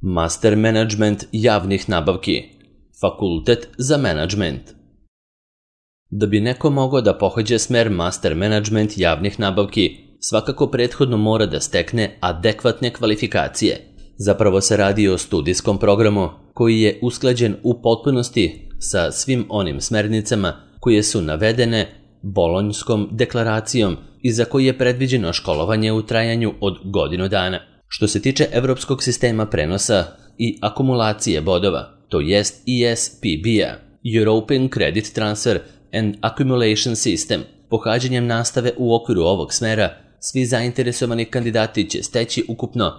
Master Management javnih nabavki, Fakultet za menadžment. Da bi neko mogao da pohađa smer Master Management javnih nabavki, svakako prethodno mora da stekne adekvatne kvalifikacije. Zapravo se radi o studijskom programu koji je usklađen u potpunosti sa svim onim smernicama koje su navedene Bolonjskom deklaracijom i za koji je predviđeno školovanje u trajanju od godinu dana. Što se tiče evropskog sistema prenosa i akumulacije bodova, to jest ESPB-a, European Credit Transfer and Accumulation System, pohađanjem nastave u okviru ovog smera, svi zainteresovani kandidati će steći ukupno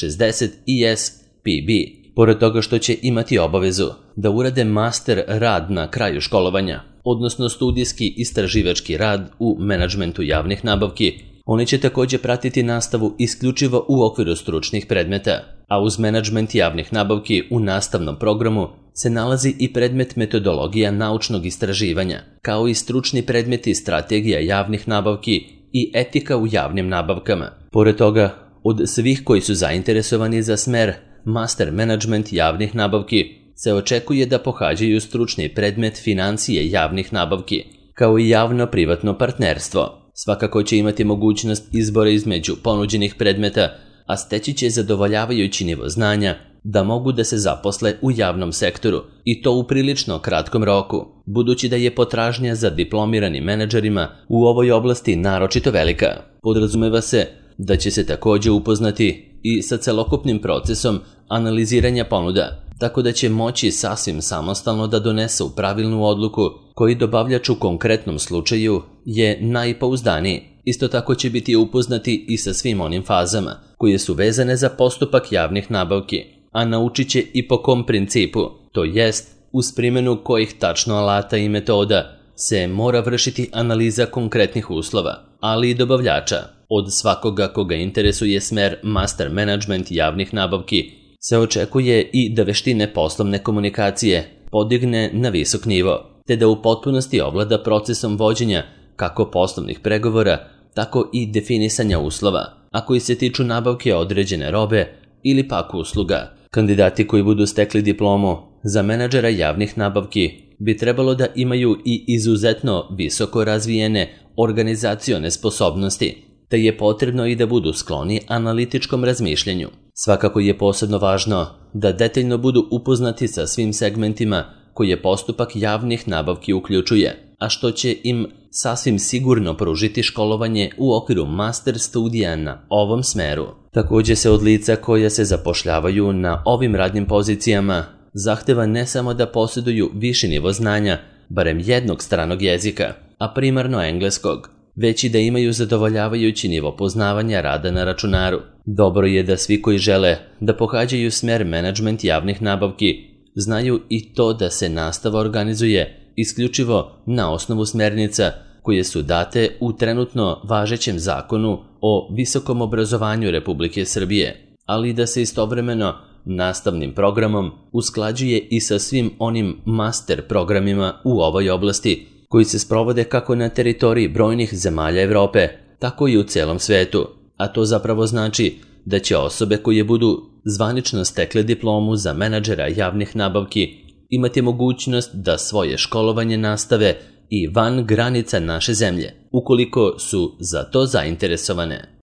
60 ESPB. Pored toga što će imati obavezu da urade master rad na kraju školovanja, odnosno studijski istraživački rad u menadžmentu javnih nabavki, oni će također pratiti nastavu isključivo u okviru stručnih predmeta, a uz menadžment javnih nabavki u nastavnom programu se nalazi i predmet metodologija naučnog istraživanja, kao i stručni predmeti strategija javnih nabavki i etika u javnim nabavkama. Pored toga, od svih koji su zainteresovani za smer Master Management javnih nabavki se očekuje da pohađaju stručni predmet financije javnih nabavki, kao i javno-privatno partnerstvo. Svakako će imati mogućnost izbora između ponuđenih predmeta, a steći će zadovoljavajući nivo znanja da mogu da se zaposle u javnom sektoru i to u prilično kratkom roku, budući da je potražnja za diplomiranim menadžerima u ovoj oblasti naročito velika. Podrazumeva se da će se također upoznati i sa celokupnim procesom analiziranja ponuda, tako da će moći sasvim samostalno da donesu pravilnu odluku koji dobavljač u konkretnom slučaju je najpouzdaniji. Isto tako će biti upoznati i sa svim onim fazama koje su vezane za postupak javnih nabavki, a naučit će i po kom principu, to jest uz primjenu kojih tačno alata i metoda se mora vršiti analiza konkretnih uslova, ali i dobavljača. Od svakoga koga interesuje smer Master Management javnih nabavki se očekuje i da veštine poslovne komunikacije podigne na visok nivo, te da u potpunosti ovlada procesom vođenja kako poslovnih pregovora, tako i definisanja uslova, a koji se tiču nabavke određene robe ili pak usluga. Kandidati koji budu stekli diplomu za menadžera javnih nabavki bi trebalo da imaju i izuzetno visoko razvijene organizacione sposobnosti, te je potrebno i da budu skloni analitičkom razmišljanju. Svakako je posebno važno da detaljno budu upoznati sa svim segmentima koje postupak javnih nabavki uključuje, a što će im sasvim sigurno pružiti školovanje u okviru master studija na ovom smeru. Također se od lica koja se zapošljavaju na ovim radnim pozicijama zahteva ne samo da posjeduju viši nivo znanja, barem jednog stranog jezika, a primarno engleskog, već i da imaju zadovoljavajući nivo poznavanja rada na računaru. Dobro je da svi koji žele da pohađaju smer menadžment javnih nabavki znaju i to da se nastava organizuje isključivo na osnovu smernica koje su date u trenutno važećem zakonu o visokom obrazovanju Republike Srbije, ali da se istovremeno nastavnim programom usklađuje i sa svim onim master programima u ovoj oblasti koji se sprovode kako na teritoriji brojnih zemalja Evrope, tako i u celom svetu, a to zapravo znači da će osobe koje budu zvanično stekle diplomu za menadžera javnih nabavki imati mogućnost da svoje školovanje nastave i van granica naše zemlje, ukoliko su za to zainteresovane.